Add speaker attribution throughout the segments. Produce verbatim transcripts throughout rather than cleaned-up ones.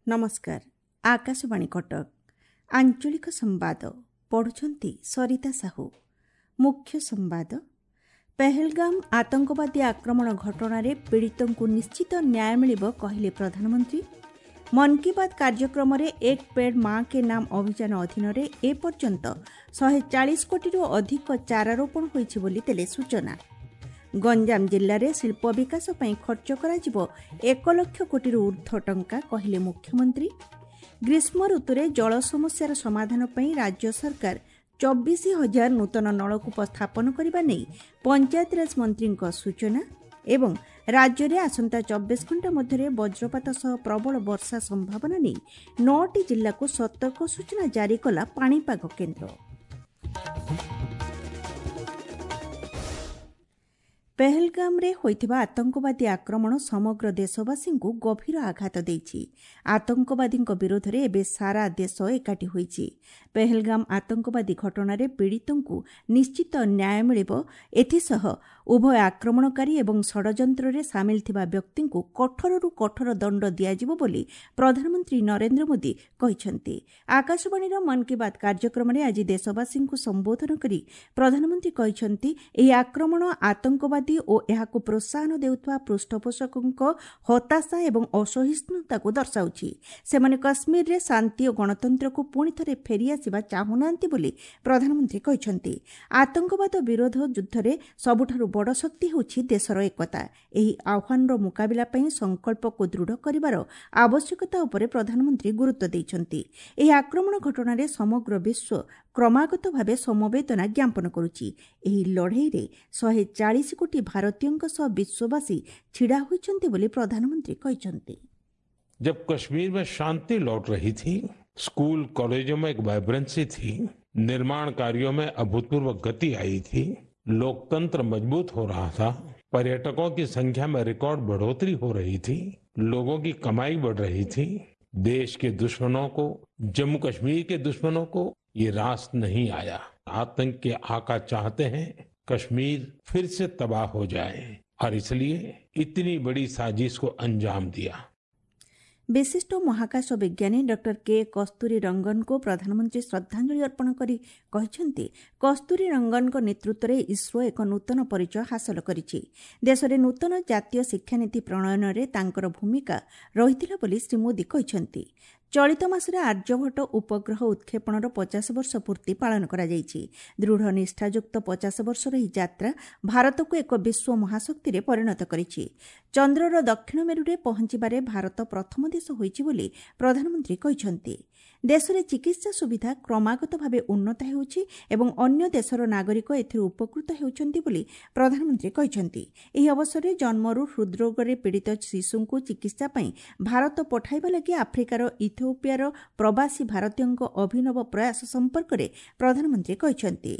Speaker 1: ନମସ୍କାର, ଆକାଶବାଣୀ କଟକ, ଆଞ୍ଚଳିକ ସମ୍ବାଦ ପଢ଼ୁଛନ୍ତି ସରିତା ସାହୁ। ମୁଖ୍ୟ ସମ୍ବାଦ। ପେହେଲଗାମ ଆତଙ୍କବାଦୀ ଆକ୍ରମଣ ଘଟଣାରେ ପୀଡ଼ିତଙ୍କୁ ନିଶ୍ଚିତ ନ୍ୟାୟ ମିଳିବ, କହିଲେ ପ୍ରଧାନମନ୍ତ୍ରୀ। ମନ୍ କି ବାତ୍ କାର୍ଯ୍ୟକ୍ରମରେ ଏକ ପେଡ୍ ମା କେ ନାମ ଅଭିଯାନ ଅଧୀନରେ ଏପର୍ଯ୍ୟନ୍ତ ଶହେ ଚାଳିଶ କୋଟିରୁ ଅଧିକ ଚାରା ରୋପଣ ହୋଇଛି ବୋଲି ଦେଲେ ସୂଚନା। ଗଞ୍ଜାମ ଜିଲ୍ଲାରେ ଶିଳ୍ପ ବିକାଶ ପାଇଁ ଖର୍ଚ୍ଚ କରାଯିବ ଏକ ଲକ୍ଷ କୋଟିରୁ ଊର୍ଦ୍ଧ୍ୱ ଟଙ୍କା, କହିଲେ ମୁଖ୍ୟମନ୍ତ୍ରୀ। ଗ୍ରୀଷ୍ମ ଋତୁରେ ଜଳ ସମସ୍ୟାର ସମାଧାନ ପାଇଁ ରାଜ୍ୟ ସରକାର ଚବିଶ ହଜାର ନୂତନ ନଳକୂପ ସ୍ଥାପନ କରିବା ନେଇ ପଞ୍ଚାୟତିରାଜ ମନ୍ତ୍ରୀଙ୍କ ସୂଚନା। ଏବଂ ରାଜ୍ୟରେ ଆସନ୍ତା ଚବିଶ ଘଣ୍ଟା ମଧ୍ୟରେ ବଜ୍ରପାତ ସହ ପ୍ରବଳ ବର୍ଷା ସମ୍ଭାବନା ନେଇ ନଅଟି ଜିଲ୍ଲାକୁ ସତର୍କ ସୂଚନା ଜାରି କଲା ପାଣିପାଗ କେନ୍ଦ୍ର। ପେହେଲଗାମରେ ହୋଇଥିବା ଆତଙ୍କବାଦୀ ଆକ୍ରମଣ ସମଗ୍ର ଦେଶବାସୀଙ୍କୁ ଗଭୀର ଆଘାତ ଦେଇଛି। ଆତଙ୍କବାଦୀଙ୍କ ବିରୋଧରେ ଏବେ ସାରା ଦେଶ ଏକାଠି ହୋଇଛି। ପେହେଲଗାମ ଆତଙ୍କବାଦୀ ଘଟଣାରେ ପୀଡ଼ିତଙ୍କୁ ନିଶ୍ଚିତ ନ୍ୟାୟ ମିଳିବ। ଏଥିସହ ଉଭୟ ଆକ୍ରମଣକାରୀ ଏବଂ ଷଡ଼ଯନ୍ତ୍ରରେ ସାମିଲ ଥିବା ବ୍ୟକ୍ତିଙ୍କୁ କଠୋରରୁ କଠୋର ଦଣ୍ଡ ଦିଆଯିବ ବୋଲି ପ୍ରଧାନମନ୍ତ୍ରୀ ନରେନ୍ଦ୍ର ମୋଦି କହିଛନ୍ତି। ଆକାଶବାଣୀର ମନ୍ କି ବାତ୍ କାର୍ଯ୍ୟକ୍ରମରେ ଆଜି ଦେଶବାସୀଙ୍କୁ ସମ୍ବୋଧନ କରି ପ୍ରଧାନମନ୍ତ୍ରୀ କହିଛନ୍ତି, ଏହି ଆକ୍ରମଣ ଆତଙ୍କବାଦୀ ଓ ଏହାକୁ ପ୍ରୋତ୍ସାହନ ଦେଉଥିବା ପୃଷ୍ଠପୋଷକଙ୍କ ହତାଶା ଏବଂ ଅସହିଷ୍ଣୁତାକୁ ଦର୍ଶାଉଛି। ସେମାନେ କଶ୍ମୀରରେ ଶାନ୍ତି ଓ ଗଣତନ୍ତ୍ରକୁ ପୁଣିଥରେ ଫେରିଆସିବା ଚାହୁଁନାହାନ୍ତି ବୋଲି ପ୍ରଧାନମନ୍ତ୍ରୀ କହିଛନ୍ତି। ଆତଙ୍କବାଦ ବିରୋଧ ଯୁଦ୍ଧରେ ସବୁଠାରୁ ବଡ଼ ଶକ୍ତି ହେଉଛି ଦେଶର ଏକତା। ଏହି ଆହ୍ୱାନର ମୁକାବିଲା ପାଇଁ ସଂକଳ୍ପକୁ ଦୃଢ଼ କରିବାର ଆବଶ୍ୟକତା ଉପରେ ପ୍ରଧାନମନ୍ତ୍ରୀ ଗୁରୁତ୍ୱ ଦେଇଛନ୍ତି। ଏହି ଆକ୍ରମଣ ଘଟଣାରେ ସମଗ୍ର ବିଶ୍ୱ କ୍ରମାଗତ ଭାବେ ସମବେଦନା ଜ୍ଞାପନ କରୁଛି। ଏହି ଲଢ଼େଇରେ ଶହେ ଚାଳିଶ କୋଟି ଭାରତୀୟଙ୍କ ସହ ବିଶ୍ୱବାସୀ ଛିଡ଼ା ହୋଇଛନ୍ତି ବୋଲି ପ୍ରଧାନମନ୍ତ୍ରୀ କହିଛନ୍ତି।
Speaker 2: जब कश्मीर में शांति लौट रही थी, स्कूल कॉलेजों में एक वाइब्रेंसी थी, निर्माण कार्यों में अभूतपूर्व गति आई थी, लोकतंत्र मजबूत हो रहा था, पर्यटकों की संख्या में रिकॉर्ड बढ़ोतरी हो रही थी, लोगों की कमाई बढ़ रही थी, देश के दुश्मनों को, जम्मू कश्मीर के दुश्मनों को ये रास नहीं आया। आतंक के आका चाहते हैं कश्मीर फिर से तबाह हो जाए और इसलिए इतनी बड़ी साजिश को अंजाम दिया।
Speaker 1: ବିଶିଷ୍ଟ ମହାକାଶ ବିଜ୍ଞାନୀ ଡକ୍ଟର କେ କସ୍ତୁରୀ ରଙ୍ଗନଙ୍କୁ ପ୍ରଧାନମନ୍ତ୍ରୀ ଶ୍ରଦ୍ଧାଞ୍ଜଳି ଅର୍ପଣ କରି କହିଛନ୍ତି, କସ୍ତୁରୀ ରଙ୍ଗନଙ୍କ ନେତୃତ୍ୱରେ ଇସ୍ରୋ ଏକ ନୂତନ ପରିଚୟ ହାସଲ କରିଛି। ଦେଶରେ ନୂତନ ଜାତୀୟ ଶିକ୍ଷାନୀତି ପ୍ରଣୟନରେ ତାଙ୍କର ଭୂମିକା ରହିଥିଲା ବୋଲି ଶ୍ରୀ ମୋଦି କହିଛନ୍ତି। ଚଳିତ ମାସରେ ଆର୍ଯ୍ୟଭଟ୍ଟ ଉପଗ୍ରହ ଉତ୍କ୍ଷେପଣର ପଚାଶ ବର୍ଷ ପୂର୍ତ୍ତି ପାଳନ କରାଯାଇଛି। ଦୃଢ଼ ନିଷ୍ଠାଯୁକ୍ତ ପଚାଶ ବର୍ଷର ଏହି ଯାତ୍ରା ଭାରତକୁ ଏକ ବିଶ୍ୱ ମହାଶକ୍ତିରେ ପରିଣତ କରିଛି। ଚନ୍ଦ୍ରର ଦକ୍ଷିଣ ମେରୁରେ ପହଞ୍ଚିବାରେ ଭାରତ ପ୍ରଥମ ଦେଶ ହୋଇଛି ବୋଲି ପ୍ରଧାନମନ୍ତ୍ରୀ କହିଛନ୍ତି। ଦେଶରେ ଚିକିତ୍ସା ସୁବିଧା କ୍ରମାଗତ ଭାବେ ଉନ୍ନତ ହେଉଛି ଏବଂ ଅନ୍ୟ ଦେଶର ନାଗରିକ ଏଥିରୁ ଉପକୃତ ହେଉଛନ୍ତି ବୋଲି ପ୍ରଧାନମନ୍ତ୍ରୀ କହିଛନ୍ତି। ଏହି ଅବସରରେ ଜନ୍ମରୁ ହୃଦ୍ରୋଗରେ ପୀଡ଼ିତ ଶିଶୁଙ୍କୁ ଚିକିତ୍ସା ପାଇଁ ଭାରତ ପଠାଇବା ଲାଗି ଆଫ୍ରିକାର ଇଥିଓପିଆର ପ୍ରବାସୀ ଭାରତୀୟଙ୍କ ଅଭିନବ ପ୍ରୟାସ ସମ୍ପର୍କରେ ପ୍ରଧାନମନ୍ତ୍ରୀ କହିଛନ୍ତି।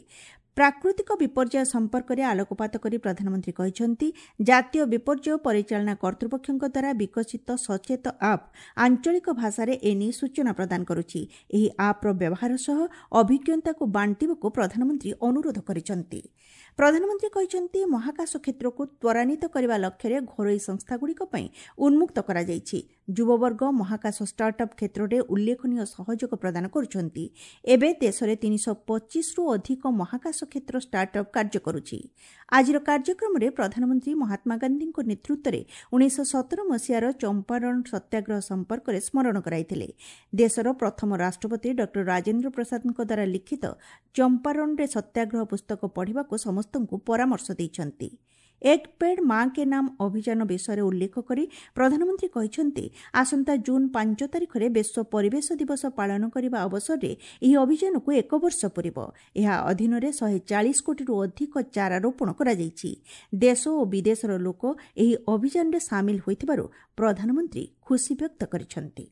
Speaker 1: ପ୍ରାକୃତିକ ବିପର୍ଯ୍ୟୟ ସମ୍ପର୍କରେ ଆଲୋକପାତ କରି ପ୍ରଧାନମନ୍ତ୍ରୀ କହିଛନ୍ତି, ଜାତୀୟ ବିପର୍ଯ୍ୟୟ ପରିଚାଳନା କର୍ତ୍ତୃପକ୍ଷଙ୍କ ଦ୍ୱାରା ବିକଶିତ ସଚେତ ଆପ୍ ଆଞ୍ଚଳିକ ଭାଷାରେ ଏନେଇ ସୂଚନା ପ୍ରଦାନ କରୁଛି। ଏହି ଆପ୍ର ବ୍ୟବହାର ସହ ଅଭିଜ୍ଞତାକୁ ବାଣ୍ଟିବାକୁ ପ୍ରଧାନମନ୍ତ୍ରୀ ଅନୁରୋଧ କରିଛନ୍ତି। ପ୍ରଧାନମନ୍ତ୍ରୀ କହିଛନ୍ତି, ମହାକାଶ କ୍ଷେତ୍ରକୁ ତ୍ୱରାନ୍ୱିତ କରିବା ଲକ୍ଷ୍ୟରେ ଘରୋଇ ସଂସ୍ଥାଗୁଡ଼ିକ ପାଇଁ ଉନ୍ମୁକ୍ତ କରାଯାଇଛି। ଯୁବବର୍ଗ ମହାକାଶ ଷ୍ଟାର୍ଟଅପ୍ କ୍ଷେତ୍ରରେ ଉଲ୍ଲେଖନୀୟ ସହଯୋଗ ପ୍ରଦାନ କରୁଛନ୍ତି। ଏବେ ଦେଶରେ ତିନିଶହ ପଚିଶରୁ ଅଧିକ ମହାକାଶ କ୍ଷେତ୍ର ଷ୍ଟାର୍ଟଅପ୍ କାର୍ଯ୍ୟ କରୁଛି। ଆଜିର କାର୍ଯ୍ୟକ୍ରମରେ ପ୍ରଧାନମନ୍ତ୍ରୀ ମହାତ୍ମା ଗାନ୍ଧୀଙ୍କ ନେତୃତ୍ୱରେ ଉଣେଇଶହ ସତର ମସିହାର ଚମ୍ପାରଣ ସତ୍ୟାଗ୍ରହ ସମ୍ପର୍କରେ ସ୍ମରଣ କରାଇଥିଲେ। ଦେଶର ପ୍ରଥମ ରାଷ୍ଟ୍ରପତି ଡକ୍ଟର ରାଜେନ୍ଦ୍ର ପ୍ରସାଦଙ୍କ ଦ୍ୱାରା ଲିଖିତ ଚମ୍ପାରଣରେ ସତ୍ୟାଗ୍ରହ ପୁସ୍ତକ ପଢ଼ିବାକୁ ସମସ୍ତଙ୍କୁ ପରାମର୍ଶ ଦେଇଛନ୍ତି। ଏକ ପେଡ୍ ମା କେ ନାମ ଅଭିଯାନ ବିଷୟରେ ଉଲ୍ଲେଖ କରି ପ୍ରଧାନମନ୍ତ୍ରୀ କହିଛନ୍ତି, ଆସନ୍ତା ଜୁନ୍ ପାଞ୍ଚ ତାରିଖରେ ବିଶ୍ୱ ପରିବେଶ ଦିବସ ପାଳନ କରିବା ଅବସରରେ ଏହି ଅଭିଯାନକୁ ଏକ ବର୍ଷ ପୂରିବ। ଏହା ଅଧୀନରେ ଶହେ ଚାଳିଶ କୋଟିରୁ ଅଧିକ ଚାରା ରୋପଣ କରାଯାଇଛି। ଦେଶ ଓ ବିଦେଶର ଲୋକ ଏହି ଅଭିଯାନରେ ସାମିଲ ହୋଇଥିବାରୁ ପ୍ରଧାନମନ୍ତ୍ରୀ ଖୁସି ବ୍ୟକ୍ତ କରିଛନ୍ତି।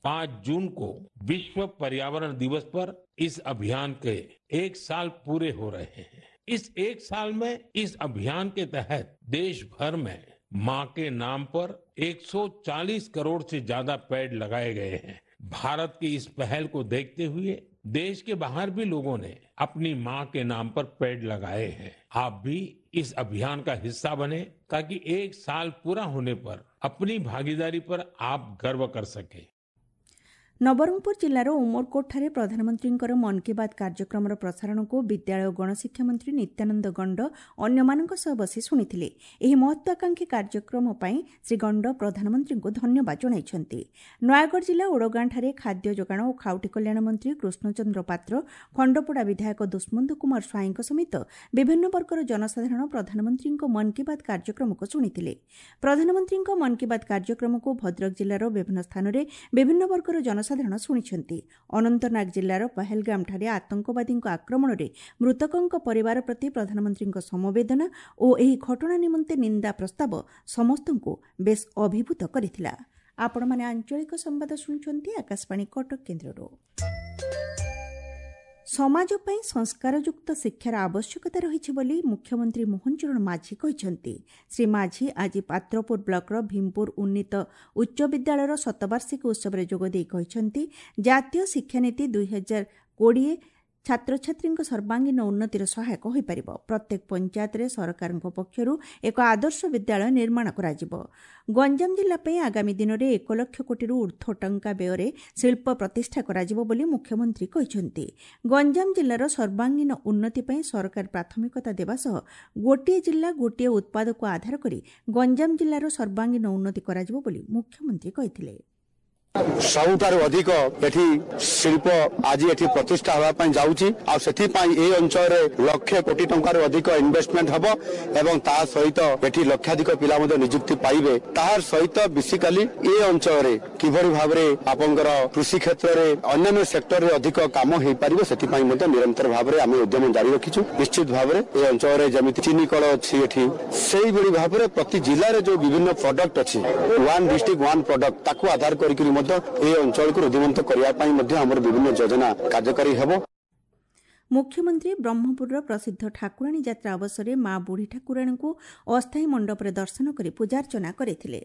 Speaker 2: पांच जून को विश्व पर्यावरण दिवस पर इस अभियान के एक साल पूरे हो रहे हैं। इस एक साल में इस अभियान के तहत देश भर में मां के नाम पर एक सौ चालीस करोड़ से ज्यादा पेड़ लगाए गए हैं। भारत की इस पहल को देखते हुए देश के बाहर भी लोगों ने अपनी मां के नाम पर पेड़ लगाए हैं। आप भी इस अभियान का हिस्सा बने ताकि एक साल पूरा होने पर अपनी भागीदारी पर आप गर्व कर सके।
Speaker 1: ନବରଙ୍ଗପୁର ଜିଲ୍ଲାର ଉମରକୋଟଠାରେ ପ୍ରଧାନମନ୍ତ୍ରୀଙ୍କର ମନ୍ କି ବାତ୍ କାର୍ଯ୍ୟକ୍ରମର ପ୍ରସାରଣକୁ ବିଦ୍ୟାଳୟ ଓ ଗଣଶିକ୍ଷା ମନ୍ତ୍ରୀ ନିତ୍ୟାନନ୍ଦ ଗଣ୍ଡ ଅନ୍ୟମାନଙ୍କ ସହ ବସି ଶୁଣିଥିଲେ। ଏହି ମହତ୍ୱାକାଂକ୍ଷୀ କାର୍ଯ୍ୟକ୍ରମ ପାଇଁ ଶ୍ରୀ ଗଣ୍ଡ ପ୍ରଧାନମନ୍ତ୍ରୀଙ୍କୁ ଧନ୍ୟବାଦ ଜଣାଇଛନ୍ତି। ନୟାଗଡ଼ ଜିଲ୍ଲା ଓଡ଼ଗାଁଠାରେ ଖାଦ୍ୟ ଯୋଗାଣ ଓ ଖାଉଟି କଲ୍ୟାଣ ମନ୍ତ୍ରୀ କୃଷ୍ଣଚନ୍ଦ୍ର ପାତ୍ର, ଖଣ୍ଡପଡ଼ା ବିଧାୟକ ଦୁଷ୍ମନ୍ତ କୁମାର ସ୍ୱାଇଁଙ୍କ ସମେତ ବିଭିନ୍ନ ବର୍ଗର ଜନସାଧାରଣ ପ୍ରଧାନମନ୍ତ୍ରୀଙ୍କ ମନ୍ କି ବାତ୍ କାର୍ଯ୍ୟକ୍ରମକୁ ଶୁଣିଥିଲେ। ପ୍ରଧାନମନ୍ତ୍ରୀଙ୍କ ମନ୍ କି ବାତ୍ କାର୍ଯ୍ୟକ୍ରମକୁ ଭଦ୍ରକ ଜିଲ୍ଲାର ବିଭିନ୍ନ ସ୍ଥାନରେ ବିଭିନ୍ନ ବର୍ଗର ଜନସାଧାରଣ ସାଧାରଣ ଶୁଣିଛନ୍ତି। ଅନନ୍ତନାଗ ଜିଲ୍ଲାର ପହଲଗାମଠାରେ ଆତଙ୍କବାଦୀଙ୍କ ଆକ୍ରମଣରେ ମୃତକଙ୍କ ପରିବାର ପ୍ରତି ପ୍ରଧାନମନ୍ତ୍ରୀଙ୍କ ସମବେଦନା ଓ ଏହି ଘଟଣା ନିମନ୍ତେ ନିନ୍ଦା ପ୍ରସ୍ତାବ ସମସ୍ତଙ୍କୁ ବେଶ୍ ଅଭିଭୂତ କରିଥିଲା। ଆପଣମାନେ ଆଞ୍ଚଳିକ ସମ୍ବାଦ ଶୁଣୁଛନ୍ତି ଆକାଶବାଣୀ କଟକ କେନ୍ଦ୍ରରୁ। ସମାଜ ପାଇଁ ସଂସ୍କାରଯୁକ୍ତ ଶିକ୍ଷାର ଆବଶ୍ୟକତା ରହିଛି ବୋଲି ମୁଖ୍ୟମନ୍ତ୍ରୀ ମୋହନ ଚରଣ ମାଝୀ କହିଛନ୍ତି। ଶ୍ରୀ ମାଝୀ ଆଜି ପାତ୍ରପୁର ବ୍ଲକର ଭୀମପୁର ଉନ୍ନୀତ ଉଚ୍ଚ ବିଦ୍ୟାଳୟର ଶତବାର୍ଷିକୀ ଉତ୍ସବରେ ଯୋଗଦେଇ କହିଛନ୍ତି, ଜାତୀୟ ଶିକ୍ଷାନୀତି ଦୁଇ ହଜାର କୋଡ଼ିଏ ଛାତ୍ରଛାତ୍ରୀଙ୍କ ସର୍ବାଙ୍ଗୀନ ଉନ୍ନତିର ସହାୟକ ହୋଇପାରିବ। ପ୍ରତ୍ୟେକ ପଞ୍ଚାୟତରେ ସରକାରଙ୍କ ପକ୍ଷରୁ ଏକ ଆଦର୍ଶ ବିଦ୍ୟାଳୟ ନିର୍ମାଣ କରାଯିବ। ଗଞ୍ଜାମ ଜିଲ୍ଲା ପାଇଁ ଆଗାମୀ ଦିନରେ ଏକ ଲକ୍ଷ କୋଟିରୁ ଊର୍ଦ୍ଧ୍ୱ ଟଙ୍କା ବ୍ୟୟରେ ଶିଳ୍ପ ପ୍ରତିଷ୍ଠା କରାଯିବ ବୋଲି ମୁଖ୍ୟମନ୍ତ୍ରୀ କହିଛନ୍ତି। ଗଞ୍ଜାମ ଜିଲ୍ଲାର ସର୍ବାଙ୍ଗୀନ ଉନ୍ନତି ପାଇଁ ସରକାର ପ୍ରାଥମିକତା ଦେବା ସହ ଗୋଟିଏ ଜିଲ୍ଲା ଗୋଟିଏ ଉତ୍ପାଦକୁ ଆଧାର କରି ଗଞ୍ଜାମ ଜିଲ୍ଲାର ସର୍ବାଙ୍ଗୀନ ଉନ୍ନତି କରାଯିବ ବୋଲି ମୁଖ୍ୟମନ୍ତ୍ରୀ କହିଥିଲେ।
Speaker 3: ସବୁଠାରୁ ଅଧିକ ଏଠି ଶିଳ୍ପ ଆଜି ଏଠି ପ୍ରତିଷ୍ଠା ହେବା ପାଇଁ ଯାଉଛି, ଆଉ ସେଥିପାଇଁ ଏ ଅଞ୍ଚଳରେ ଲକ୍ଷେ କୋଟି ଟଙ୍କାରୁ ଅଧିକ ଇନଭେଷ୍ଟମେଣ୍ଟ ହେବ ଏବଂ ତା ସହିତ ଏଠି ଲକ୍ଷାଧିକ ପିଲା ମଧ୍ୟ ନିଯୁକ୍ତି ପାଇବେ। ତାହାର ସହିତ ବେସିକାଲି ଏ ଅଞ୍ଚଳରେ କିଭଳି ଭାବରେ ଆପଣଙ୍କର କୃଷି କ୍ଷେତ୍ରରେ, ଅନ୍ୟାନ୍ୟ ସେକ୍ଟରରେ ଅଧିକ କାମ ହେଇପାରିବ, ସେଥିପାଇଁ ମଧ୍ୟ ନିରନ୍ତର ଭାବରେ ଆମେ ଉଦ୍ୟମ ଜାରି ରଖିଛୁ। ନିଶ୍ଚିତ ଭାବରେ ଏ ଅଞ୍ଚଳରେ ଯେମିତି ଚିନି କଳ ଅଛି ଏଠି, ସେଇଭଳି ଭାବରେ ପ୍ରତି ଜିଲ୍ଲାରେ ଯୋଉ ବିଭିନ୍ନ ପ୍ରଡକ୍ଟ ଅଛି, ୱାନ୍ ଡିଷ୍ଟ୍ରିକ୍ଟ ୱାନ୍ ପ୍ରଡକ୍ଟ, ତାକୁ ଆଧାର କରିକି ମଧ୍ୟ ଏ ଅଞ୍ଚଳକୁ ରୁଦ୍ଧିମନ୍ତ କରିବା ପାଇଁ ମଧ୍ୟ ଆମର ବିଭିନ୍ନ ଯୋଜନା କାର୍ଯ୍ୟକାରୀ ହେବ।
Speaker 1: ମୁଖ୍ୟମନ୍ତ୍ରୀ ବ୍ରହ୍ମପୁରର ପ୍ରସିଦ୍ଧ ଠାକୁରାଣୀ ଯାତ୍ରା ଅବସରରେ ମା ବୁଢ଼ୀ ଠାକୁରାଣୀଙ୍କୁ ଅସ୍ଥାୟୀ ମଣ୍ଡପରେ ଦର୍ଶନ କରି ପୂଜାର୍ଚ୍ଚନା କରିଥିଲେ।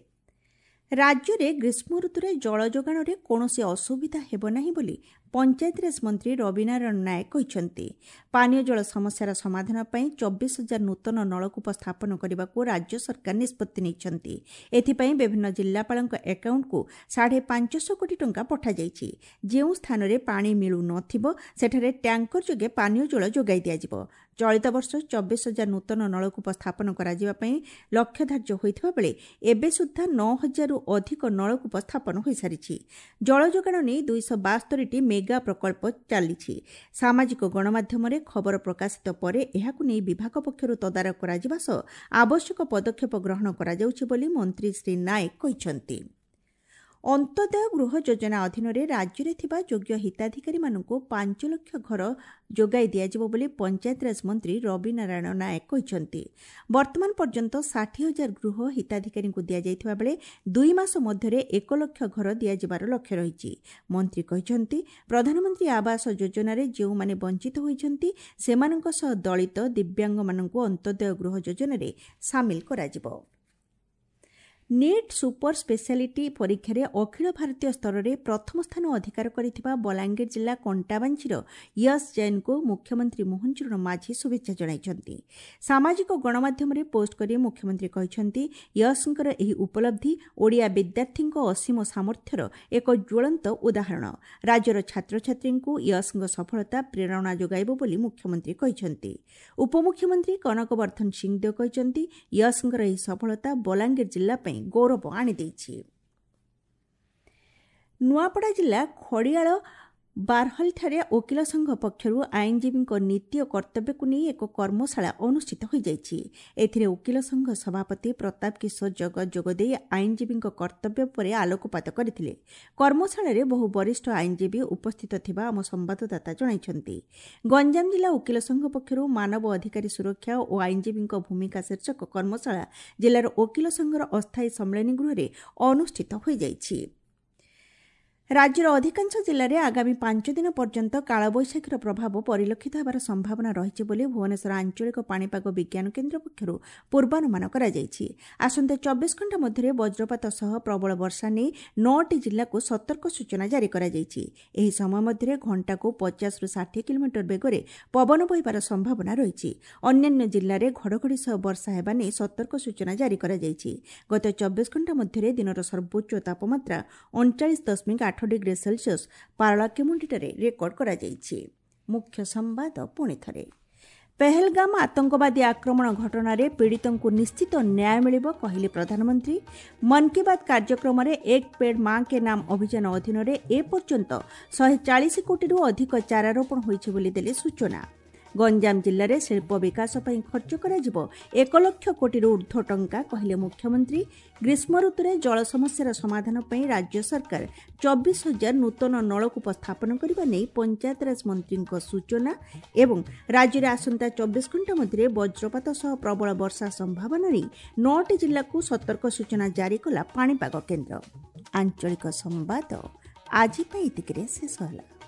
Speaker 1: ରାଜ୍ୟରେ ଗ୍ରୀଷ୍ମ ଋତୁରେ ଜଳ ଯୋଗାଣରେ କୌଣସି ଅସୁବିଧା ହେବ ନାହିଁ ବୋଲି ପଞ୍ଚାୟତିରାଜ ମନ୍ତ୍ରୀ ରବିନାରାୟଣ ନାୟକ କହିଛନ୍ତି। ପାନୀୟ ଜଳ ସମସ୍ୟାର ସମାଧାନ ପାଇଁ ଚବିଶ ହଜାର ନୂତନ ନଳକୂପ ସ୍ଥାପନ କରିବାକୁ ରାଜ୍ୟ ସରକାର ନିଷ୍ପତ୍ତି ନେଇଛନ୍ତି। ଏଥିପାଇଁ ବିଭିନ୍ନ ଜିଲ୍ଲାପାଳଙ୍କ ଆକାଉଣ୍ଟକୁ ସାଢ଼େ ପାଞ୍ଚଶହ କୋଟି ଟଙ୍କା ପଠାଯାଇଛି। ଯେଉଁ ସ୍ଥାନରେ ପାଣି ମିଳୁନଥିବ ସେଠାରେ ଟ୍ୟାଙ୍କର ଯୋଗେ ପାନୀୟ ଜଳ ଯୋଗାଇ ଦିଆଯିବ। ଚଳିତ ବର୍ଷ ଚବିଶ ହଜାର ନୂତନ ନଳକୂପ ସ୍ଥାପନ କରାଯିବା ପାଇଁ ଲକ୍ଷ୍ୟ ଧାର୍ଯ୍ୟ ହୋଇଥିବା ବେଳେ ଏବେ ସୁଦ୍ଧା ନଅ ହଜାରରୁ ଅଧିକ ନଳକୂପ ସ୍ଥାପନ ହୋଇସାରିଛି। ଜଳ ଯୋଗାଣ ନେଇ ଦୁଇଶହ ବାସ୍ତରିଟି ମେଗା ପ୍ରକଳ୍ପ ଚାଲିଛି। ସାମାଜିକ ଗଣମାଧ୍ୟମରେ ଖବର ପ୍ରକାଶିତ ପରେ ଏହାକୁ ନେଇ ବିଭାଗ ପକ୍ଷରୁ ତଦାରଖ କରାଯିବା ସହ ଆବଶ୍ୟକ ପଦକ୍ଷେପ ଗ୍ରହଣ କରାଯାଉଛି ବୋଲି ମନ୍ତ୍ରୀ ଶ୍ରୀ ନାଏକ କହିଛନ୍ତି। ଅନ୍ତ୍ୟୋଦୟ ଗୃହ ଯୋଜନା ଅଧୀନରେ ରାଜ୍ୟରେ ଥିବା ଯୋଗ୍ୟ ହିତାଧିକାରୀମାନଙ୍କୁ ପାଞ୍ଚ ଲକ୍ଷ ଘର ଯୋଗାଇ ଦିଆଯିବ ବୋଲି ପଞ୍ଚାୟତିରାଜ ମନ୍ତ୍ରୀ ରବିନାରାୟଣ ନାୟକ କହିଛନ୍ତି। ବର୍ତ୍ତମାନ ପର୍ଯ୍ୟନ୍ତ ଷାଠିଏ ହଜାର ଗୃହ ହିତାଧିକାରୀଙ୍କୁ ଦିଆଯାଇଥିବା ବେଳେ ଦୁଇ ମାସ ମଧ୍ୟରେ ଏକ ଲକ୍ଷ ଘର ଦିଆଯିବାର ଲକ୍ଷ୍ୟ ରହିଛି। ମନ୍ତ୍ରୀ କହିଛନ୍ତି, ପ୍ରଧାନମନ୍ତ୍ରୀ ଆବାସ ଯୋଜନାରେ ଯେଉଁମାନେ ବଞ୍ଚିତ ହୋଇଛନ୍ତି ସେମାନଙ୍କ ସହ ଦଳିତ, ଦିବ୍ୟାଙ୍ଗମାନଙ୍କୁ ଅନ୍ତ୍ୟୋଦୟ ଗୃହ ଯୋଜନାରେ ସାମିଲ କରାଯିବ। ନିଟ୍ ସୁପର ସ୍ପେଶାଲିଟି ପରୀକ୍ଷାରେ ଅଖିଳ ଭାରତୀୟ ସ୍ତରରେ ପ୍ରଥମ ସ୍ଥାନ ଅଧିକାର କରିଥିବା ବଲାଙ୍ଗୀର ଜିଲ୍ଲା କଣ୍ଟାବାଞ୍ଝିର ୟଶ ଜୈନଙ୍କୁ ମୁଖ୍ୟମନ୍ତ୍ରୀ ମୋହନ ଚରଣ ମାଝୀ ଶୁଭେଚ୍ଛା ଜଣାଇଛନ୍ତି। ସାମାଜିକ ଗଣମାଧ୍ୟମରେ ପୋଷ୍ଟ କରି ମୁଖ୍ୟମନ୍ତ୍ରୀ କହିଛନ୍ତି, ୟଶଙ୍କର ଏହି ଉପଲବ୍ଧି ଓଡ଼ିଆ ବିଦ୍ୟାର୍ଥୀଙ୍କ ଅସୀମ ସାମର୍ଥ୍ୟର ଏକ ଜ୍ୱଳନ୍ତ ଉଦାହରଣ। ରାଜ୍ୟର ଛାତ୍ରଛାତ୍ରୀଙ୍କୁ ୟଶଙ୍କ ସଫଳତା ପ୍ରେରଣା ଯୋଗାଇବ ବୋଲି ମୁଖ୍ୟମନ୍ତ୍ରୀ କହିଛନ୍ତି। ଉପମୁଖ୍ୟମନ୍ତ୍ରୀ କନକ ବର୍ଦ୍ଧନ ସିଂଦେଓ କହିଛନ୍ତି, ୟଶଙ୍କର ଏହି ସଫଳତା ବଲାଙ୍ଗୀର ଜିଲ୍ଲା ପାଇଁ ଗୌରବ ଆଣିଦେଇଛି। ନୂଆପଡ଼ା ଜିଲ୍ଲା ଖଡ଼ିଆଳ ବାରହଲଠାରେ ଓକିଲ ସଂଘ ପକ୍ଷରୁ ଆଇନଜୀବୀଙ୍କ ନୀତି ଓ କର୍ତ୍ତବ୍ୟକୁ ନେଇ ଏକ କର୍ମଶାଳା ଅନୁଷ୍ଠିତ ହୋଇଯାଇଛି। ଏଥିରେ ଓକିଲ ସଂଘ ସଭାପତି ପ୍ରତାପ କିଶୋର ଜଗତ ଯୋଗଦେଇ ଆଇନଜୀବୀଙ୍କ କର୍ତ୍ତବ୍ୟ ଉପରେ ଆଲୋକପାତ କରିଥିଲେ। କର୍ମଶାଳାରେ ବହୁ ବରିଷ୍ଠ ଆଇନଜୀବୀ ଉପସ୍ଥିତ ଥିବା ଆମ ସମ୍ବାଦଦାତା ଜଣାଇଛନ୍ତି। ଗଞ୍ଜାମ ଜିଲ୍ଲା ଓକିଲ ସଂଘ ପକ୍ଷରୁ ମାନବ ଅଧିକାରୀ ସୁରକ୍ଷା ଓ ଆଇନଜୀବୀଙ୍କ ଭୂମିକା ଶୀର୍ଷକ କର୍ମଶାଳା ଜିଲ୍ଲାର ଓକିଲ ସଂଘର ଅସ୍ଥାୟୀ ସମ୍ମିଳନୀ ଗୃହରେ ଅନୁଷ୍ଠିତ ହୋଇଯାଇଛି। ରାଜ୍ୟର ଅଧିକାଂଶ ଜିଲ୍ଲାରେ ଆଗାମୀ ପାଞ୍ଚ ଦିନ ପର୍ଯ୍ୟନ୍ତ କାଳବୈଶାଖୀର ପ୍ରଭାବ ପରିଲକ୍ଷିତ ହେବାର ସମ୍ଭାବନା ରହିଛି ବୋଲି ଭୁବନେଶ୍ୱର ଆଞ୍ଚଳିକ ପାଣିପାଗ ବିଜ୍ଞାନ କେନ୍ଦ୍ର ପକ୍ଷରୁ ପୂର୍ବାନୁମାନ କରାଯାଇଛି। ଆସନ୍ତା ଚବିଶ ଘଣ୍ଟା ମଧ୍ୟରେ ବଜ୍ରପାତ ସହ ପ୍ରବଳ ବର୍ଷା ନେଇ ନଅଟି ଜିଲ୍ଲାକୁ ସତର୍କ ସୂଚନା ଜାରି କରାଯାଇଛି। ଏହି ସମୟ ମଧ୍ୟରେ ଘଣ୍ଟାକୁ ପଚାଶରୁ ଷାଠିଏ କିଲୋମିଟର ବେଗରେ ପବନ ବହିବାର ସମ୍ଭାବନା ରହିଛି। ଅନ୍ୟାନ୍ୟ ଜିଲ୍ଲାରେ ଘଡ଼ଘଡ଼ି ସହ ବର୍ଷା ହେବା ନେଇ ସତର୍କ ସୂଚନା ଜାରି କରାଯାଇଛି। ଗତ ଚବିଶ ଘଣ୍ଟା ମଧ୍ୟରେ ଦିନର ସର୍ବୋଚ୍ଚ ତାପମାତ୍ରା ଅଣଚାଳିଶ ଦଶମିକ ଆଠ ଡିଗ୍ରୀ ସେଲସିୟସ୍ ପାରଳାଖେମୁଣ୍ଡିଠାରେ ରେକର୍ଡ କରାଯାଇଛି। ମୁଖ୍ୟ ସମ୍ବାଦ ପୁଣି ଥରେ। ପେହେଲଗାମ ଆତଙ୍କବାଦୀ ଆକ୍ରମଣ ଘଟଣାରେ ପୀଡ଼ିତଙ୍କୁ ନିଶ୍ଚିତ ନ୍ୟାୟ ମିଳିବ, କହିଲେ ପ୍ରଧାନମନ୍ତ୍ରୀ। ମନ୍ କି ବାତ୍ କାର୍ଯ୍ୟକ୍ରମରେ ଏକ ପେଡ୍ ମା କେ ନାମ ଅଭିଯାନ ଅଧୀନରେ ଏପର୍ଯ୍ୟନ୍ତ ଶହେ ଚାଳିଶ କୋଟିରୁ ଅଧିକ ଚାରାରୋପଣ ହୋଇଛି ବୋଲି ଦେଲେ ସୂଚନା। ଗଞ୍ଜାମ ଜିଲ୍ଲାରେ ଶିଳ୍ପ ବିକାଶ ପାଇଁ ଖର୍ଚ୍ଚ କରାଯିବ ଏକ ଲକ୍ଷ କୋଟିରୁ ଉର୍ଦ୍ଧ୍ୱ ଟଙ୍କା, କହିଲେ ମୁଖ୍ୟମନ୍ତ୍ରୀ। ଗ୍ରୀଷ୍ମ ଋତୁରେ ଜଳ ସମସ୍ୟାର ସମାଧାନ ପାଇଁ ରାଜ୍ୟ ସରକାର ଚବିଶ ହଜାର ନୂତନ ନଳକୂପ ସ୍ଥାପନ କରିବା ନେଇ ପଞ୍ଚାୟତରାଜ ମନ୍ତ୍ରୀଙ୍କ ସୂଚନା। ଏବଂ ରାଜ୍ୟରେ ଆସନ୍ତା ଚବିଶ ଘଣ୍ଟା ମଧ୍ୟରେ ବଜ୍ରପାତ ସହ ପ୍ରବଳ ବର୍ଷା ସମ୍ଭାବନା ନେଇ ନଅଟି ଜିଲ୍ଲାକୁ ସତର୍କ ସୂଚନା ଜାରି କଲା ପାଣିପାଗ କେନ୍ଦ୍ର। ଆଞ୍ଚଳିକ ସମ୍ବାଦ ଆଜି ପାଇଁ ଏତିକିରେ ଶେଷ ହେଲା।